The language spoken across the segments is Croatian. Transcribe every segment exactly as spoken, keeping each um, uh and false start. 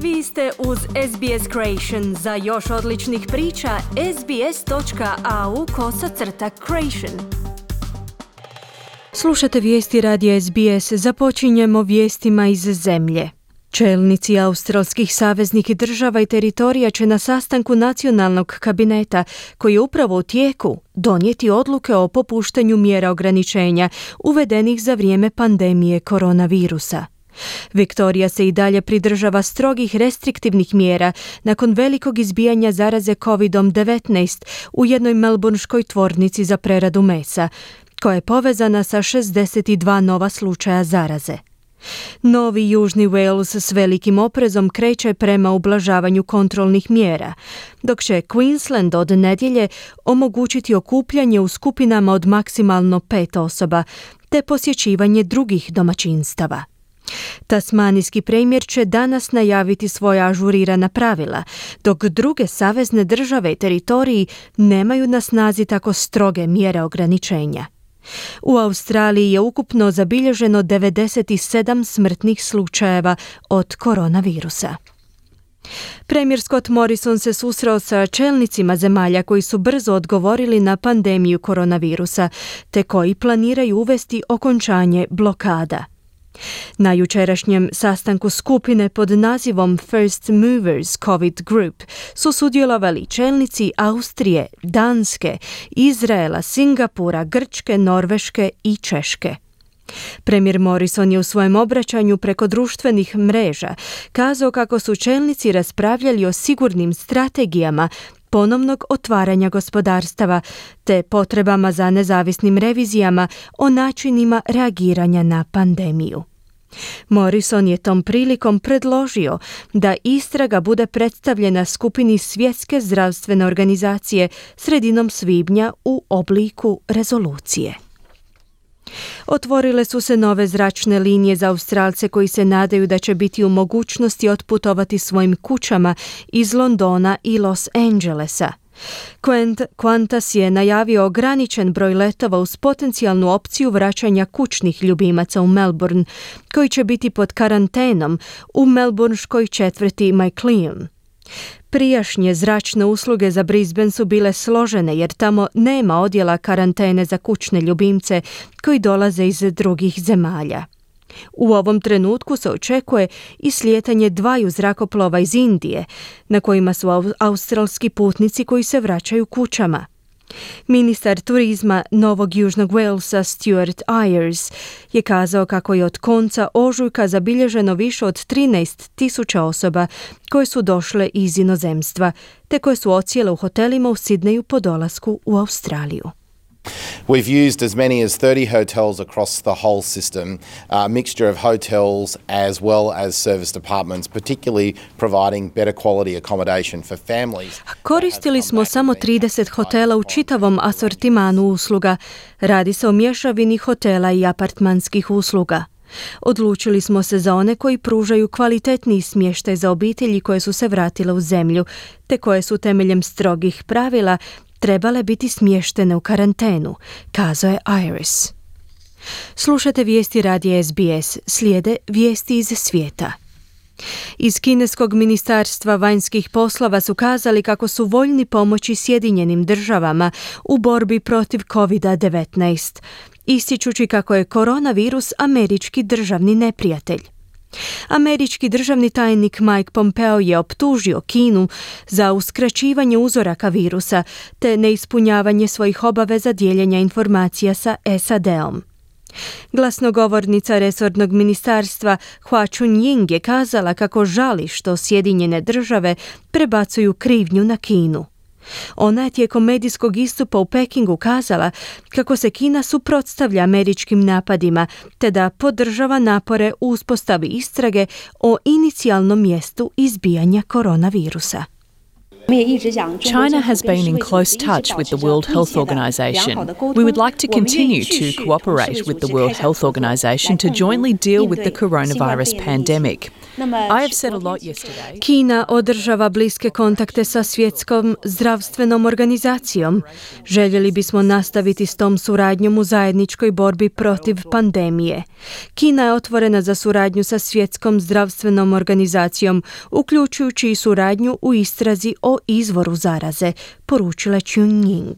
Vi ste uz S B S Creation. Za još odličnih priča, sbs.au kosacrta creation. Slušate vijesti radija S B S. Započinjemo vijestima iz zemlje. Čelnici australskih saveznih država i teritorija će na sastanku nacionalnog kabineta, koji je upravo u tijeku, donijeti odluke o popuštanju mjera ograničenja uvedenih za vrijeme pandemije koronavirusa. Viktorija se i dalje pridržava strogih restriktivnih mjera nakon velikog izbijanja zaraze kovid devetnaest u jednoj melbourneškoj tvornici za preradu mesa, koja je povezana sa šezdeset dva nova slučaja zaraze. Novi Južni Wales s velikim oprezom kreće prema ublažavanju kontrolnih mjera, dok će Queensland od nedjelje omogućiti okupljanje u skupinama od maksimalno pet osoba, te posjećivanje drugih domaćinstava. Tasmanijski premijer će danas najaviti svoja ažurirana pravila, dok druge savezne države i teritoriji nemaju na snazi tako stroge mjere ograničenja. U Australiji je ukupno zabilježeno devedeset sedam smrtnih slučajeva od koronavirusa. Premijer Scott Morrison se susreo sa čelnicima zemalja koji su brzo odgovorili na pandemiju koronavirusa, te koji planiraju uvesti okončanje blokada. Na jučerašnjem sastanku skupine pod nazivom First Movers COVID Group su sudjelovali čelnici Austrije, Danske, Izraela, Singapura, Grčke, Norveške i Češke. Premijer Morrison je u svojem obraćanju preko društvenih mreža kazao kako su čelnici raspravljali o sigurnim strategijama ponovnog otvaranja gospodarstava te potrebama za nezavisnim revizijama o načinima reagiranja na pandemiju. Morrison je tom prilikom predložio da istraga bude predstavljena skupini Svjetske zdravstvene organizacije sredinom svibnja u obliku rezolucije. Otvorile su se nove zračne linije za Australce koji se nadaju da će biti u mogućnosti otputovati svojim kućama iz Londona i Los Angelesa. Qantas je najavio ograničen broj letova uz potencijalnu opciju vraćanja kućnih ljubimaca u Melbourne, koji će biti pod karantenom u melbourneškoj četvrti Maclean. Prijašnje zračne usluge za Brisbane su bile složene jer tamo nema odjela karantene za kućne ljubimce koji dolaze iz drugih zemalja. U ovom trenutku se očekuje i slijetanje dvaju zrakoplova iz Indije, na kojima su australski putnici koji se vraćaju kućama. Ministar turizma Novog Južnog Walesa Stuart Ayres je kazao kako je od konca ožujka zabilježeno više od trinaest tisuća osoba koje su došle iz inozemstva, te koje su odsjele u hotelima u Sidneju po dolasku u Australiju. We've used as many as thirty hotels across the whole system, a mixture of hotels as well as service departments, particularly providing better quality accommodation for families. Koristili smo samo trideset hotela u čitavom asortimanu usluga. Radi se o mješavini hotela i apartmanskih usluga. Odlučili smo se za one koji pružaju kvalitetniji smještaj za obitelji koje su se vratile u zemlju, te koje su temeljem strogih pravila trebale biti smještene u karantenu, kazao je Ayres. Slušate vijesti radija S B S, slijede vijesti iz svijeta. Iz kineskog ministarstva vanjskih poslova su kazali kako su voljni pomoći Sjedinjenim državama u borbi protiv kovid devetnaest, ističući kako je koronavirus američki državni neprijatelj. Američki državni tajnik Mike Pompeo je optužio Kinu za uskraćivanje uzoraka virusa te neispunjavanje svojih obaveza dijeljenja informacija sa S A D-om. Glasnogovornica resornog ministarstva Hua Chunying je kazala kako žali što Sjedinjene države prebacuju krivnju na Kinu. Ona je tijekom medijskog istupa u Pekingu kazala kako se Kina suprotstavlja američkim napadima te da podržava napore u uspostavi istrage o inicijalnom mjestu izbijanja koronavirusa. China has been in close touch with the World Health Organization. We would like to continue to cooperate with the World Health Organization to jointly deal with the coronavirus pandemic. I have said a lot yesterday. Kina održava bliske kontakte sa Svjetskom zdravstvenom organizacijom. Željeli bismo nastaviti s tom suradnjom u zajedničkoj borbi protiv pandemije. Kina je otvorena za suradnju sa Svjetskom zdravstvenom organizacijom, uključujući i suradnju u istrazi o izvoru zaraze, poručila Chunying.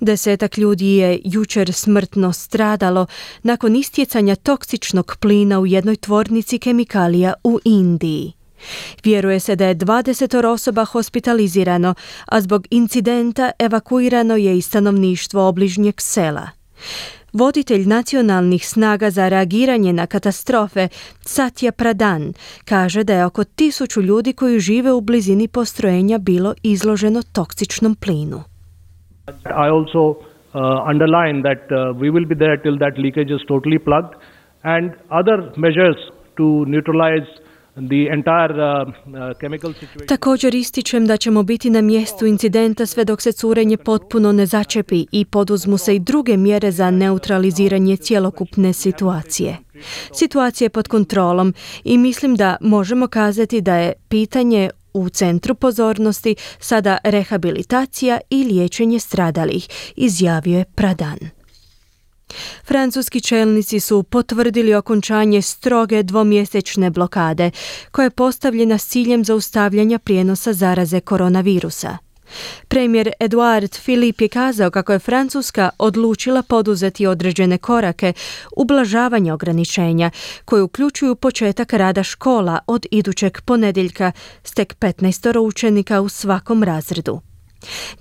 Desetak ljudi je jučer smrtno stradalo nakon istjecanja toksičnog plina u jednoj tvornici kemikalija u Indiji. Vjeruje se da je dvadeset osoba hospitalizirano, a zbog incidenta evakuirano je i stanovništvo obližnjeg sela. Voditelj nacionalnih snaga za reagiranje na katastrofe, Satya Pradhan, kaže da je oko tisuću ljudi koji žive u blizini postrojenja bilo izloženo toksičnom plinu. I also uh, underline that uh, we will be there till that leakage is totally plugged, and other measures to neutralize the entire uh, uh, chemical situation. Također ističem da ćemo biti na mjestu incidenta sve dok se curenje potpuno ne začepi i poduzmu se i druge mjere za neutraliziranje cjelokupne situacije. Situacija je pod kontrolom i mislim da možemo kazati da je pitanje u centru pozornosti sada rehabilitacija i liječenje stradalih, izjavio je Pradhan. Francuski čelnici su potvrdili okončanje stroge dvomjesečne blokade, koja je postavljena s ciljem zaustavljanja prijenosa zaraze koronavirusa. Premijer Edouard Philippe je kazao kako je Francuska odlučila poduzeti određene korake ublažavanja ograničenja, koje uključuju početak rada škola od idućeg ponedjeljka s tek petnaest učenika u svakom razredu.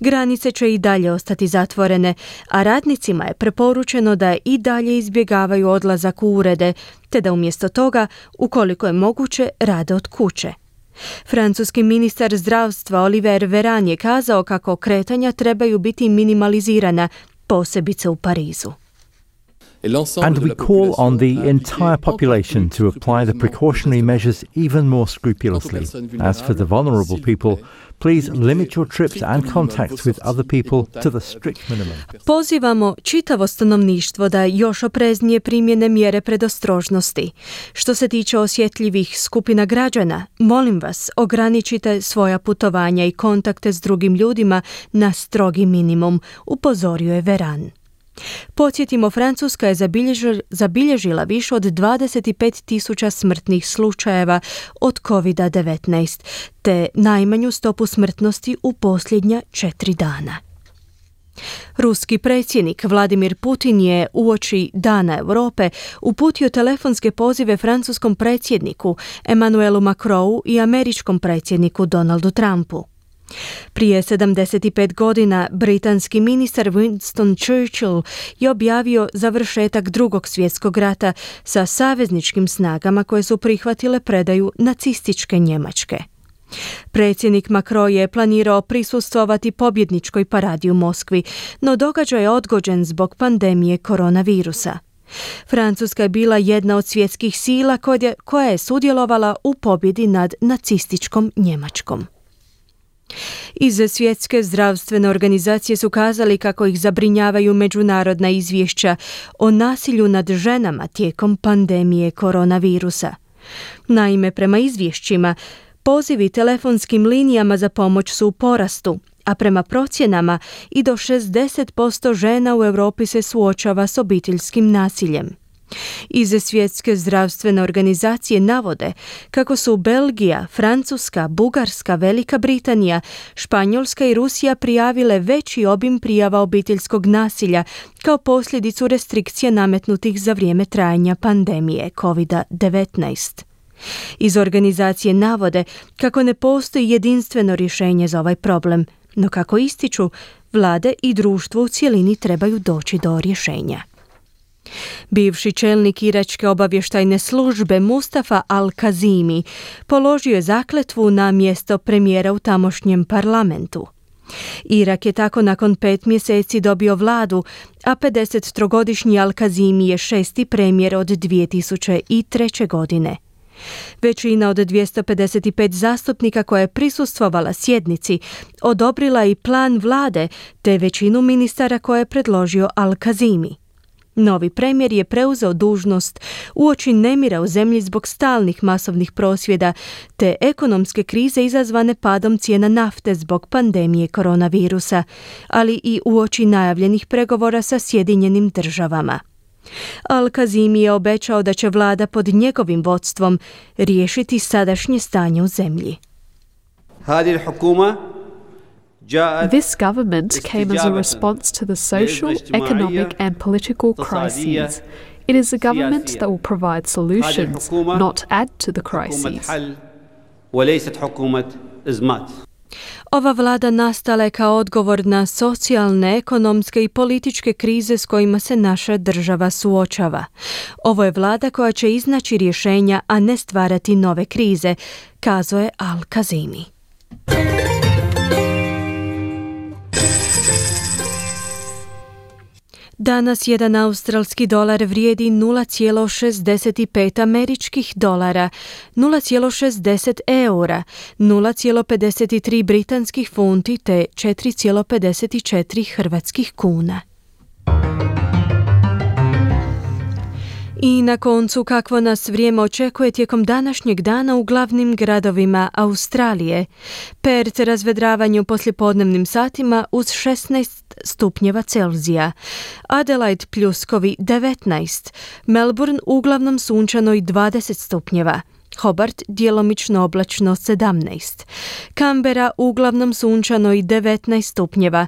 Granice će i dalje ostati zatvorene, a radnicima je preporučeno da i dalje izbjegavaju odlazak u urede, te da umjesto toga, ukoliko je moguće, rade od kuće. Francuski ministar zdravstva Olivier Véran je kazao kako kretanja trebaju biti minimalizirana, posebice u Parizu. And we call on the entire population to apply the precautionary measures even more scrupulously. As for the vulnerable people, please limit your trips and contacts with other people to the strict minimum. Pozivamo čitavo stanovništvo da još opreznije primjene mjere predostrožnosti. Što se tiče osjetljivih skupina građana, molim vas, ograničite svoja putovanja i kontakte s drugim ljudima na strogi minimum, upozorio je Véran. Podsjetimo, Francuska je zabilježila više od dvadeset pet tisuća smrtnih slučajeva od kovid devetnaest, te najmanju stopu smrtnosti u posljednja četiri dana. Ruski predsjednik Vladimir Putin je uoči Dana Europe uputio telefonske pozive francuskom predsjedniku Emmanuelu Macronu i američkom predsjedniku Donaldu Trumpu. Prije sedamdeset pet godina britanski ministar Winston Churchill je objavio završetak Drugog svjetskog rata sa savezničkim snagama koje su prihvatile predaju nacističke Njemačke. Predsjednik Macron je planirao prisustvovati pobjedničkoj paradi u Moskvi, no događaj je odgođen zbog pandemije koronavirusa. Francuska je bila jedna od svjetskih sila koja je sudjelovala u pobjedi nad nacističkom Njemačkom. Iz Svjetske zdravstvene organizacije su kazali kako ih zabrinjavaju međunarodna izvješća o nasilju nad ženama tijekom pandemije koronavirusa. Naime, prema izvješćima, pozivi telefonskim linijama za pomoć su u porastu, a prema procjenama i do šezdeset posto žena u Europi se suočava s obiteljskim nasiljem. Iz Svjetske zdravstvene organizacije navode kako su Belgija, Francuska, Bugarska, Velika Britanija, Španjolska i Rusija prijavile veći obim prijava obiteljskog nasilja kao posljedicu restrikcija nametnutih za vrijeme trajanja pandemije kovid devetnaest. Iz organizacije navode kako ne postoji jedinstveno rješenje za ovaj problem, no kako ističu, vlade i društvo u cjelini trebaju doći do rješenja. Bivši čelnik iračke obavještajne službe Mustafa Al-Kazimi položio je zakletvu na mjesto premijera u tamošnjem parlamentu. Irak je tako nakon pet mjeseci dobio vladu, a pedesettrogodišnji Al-Kazimi je šesti premijer od dvije tisuće treće. godine. Većina od dvjesto pedeset pet zastupnika koja je prisustvovala sjednici odobrila i plan vlade te većinu ministara koje je predložio Al-Kazimi. Novi premijer je preuzeo dužnost uoči nemira u zemlji zbog stalnih masovnih prosvjeda te ekonomske krize izazvane padom cijena nafte zbog pandemije koronavirusa, ali i uoči najavljenih pregovora sa Sjedinjenim državama. Al-Kazimi je obećao da će vlada pod njegovim vodstvom riješiti sadašnje stanje u zemlji. This government came as a response to the social, economic and political crises. It is a government that will provide solutions, not add to the crises. Ova vlada nastala je kao odgovor na socijalne, ekonomske i političke krize s kojima se naša država suočava. Ovo je vlada koja će iznaći rješenja, a ne stvarati nove krize, kazao je Al-Kazimi. Danas jedan australski dolar vrijedi nula zarez šezdeset pet američkih dolara, nula zarez šezdeset eura, nula zarez pedeset tri britanskih funti te četiri zarez pedeset četiri hrvatskih kuna. I na koncu, kakvo nas vrijeme očekuje tijekom današnjeg dana u glavnim gradovima Australije. Perth razvedravanje u poslijepodnevnim satima uz šesnaest stupnjeva Celzija. Adelaide pljuskovi devetnaest. Melbourne uglavnom sunčano i dvadeset stupnjeva. Hobart djelomično oblačno sedamnaest. Canberra uglavnom sunčano i devetnaest stupnjeva.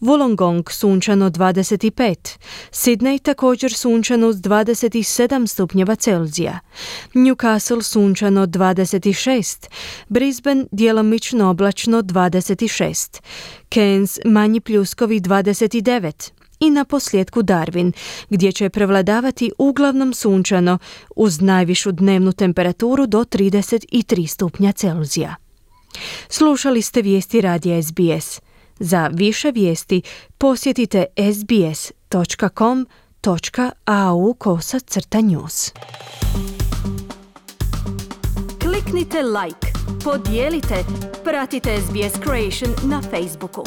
Wollongong sunčano dvadeset pet, Sydney također sunčano uz dvadeset sedam stupnjeva Celzija, Newcastle sunčano dvadeset šest, Brisbane djelomično oblačno dvadeset šest, Cairns manji pljuskovi dvadeset devet i na posljedku Darwin, gdje će prevladavati uglavnom sunčano uz najvišu dnevnu temperaturu do trideset tri stupnja Celzija. Slušali ste vijesti radija S B S. Za više vijesti posjetite sbs.com.au kosa crta news. Kliknite like, podijelite, pratite S B S Creation na Facebooku.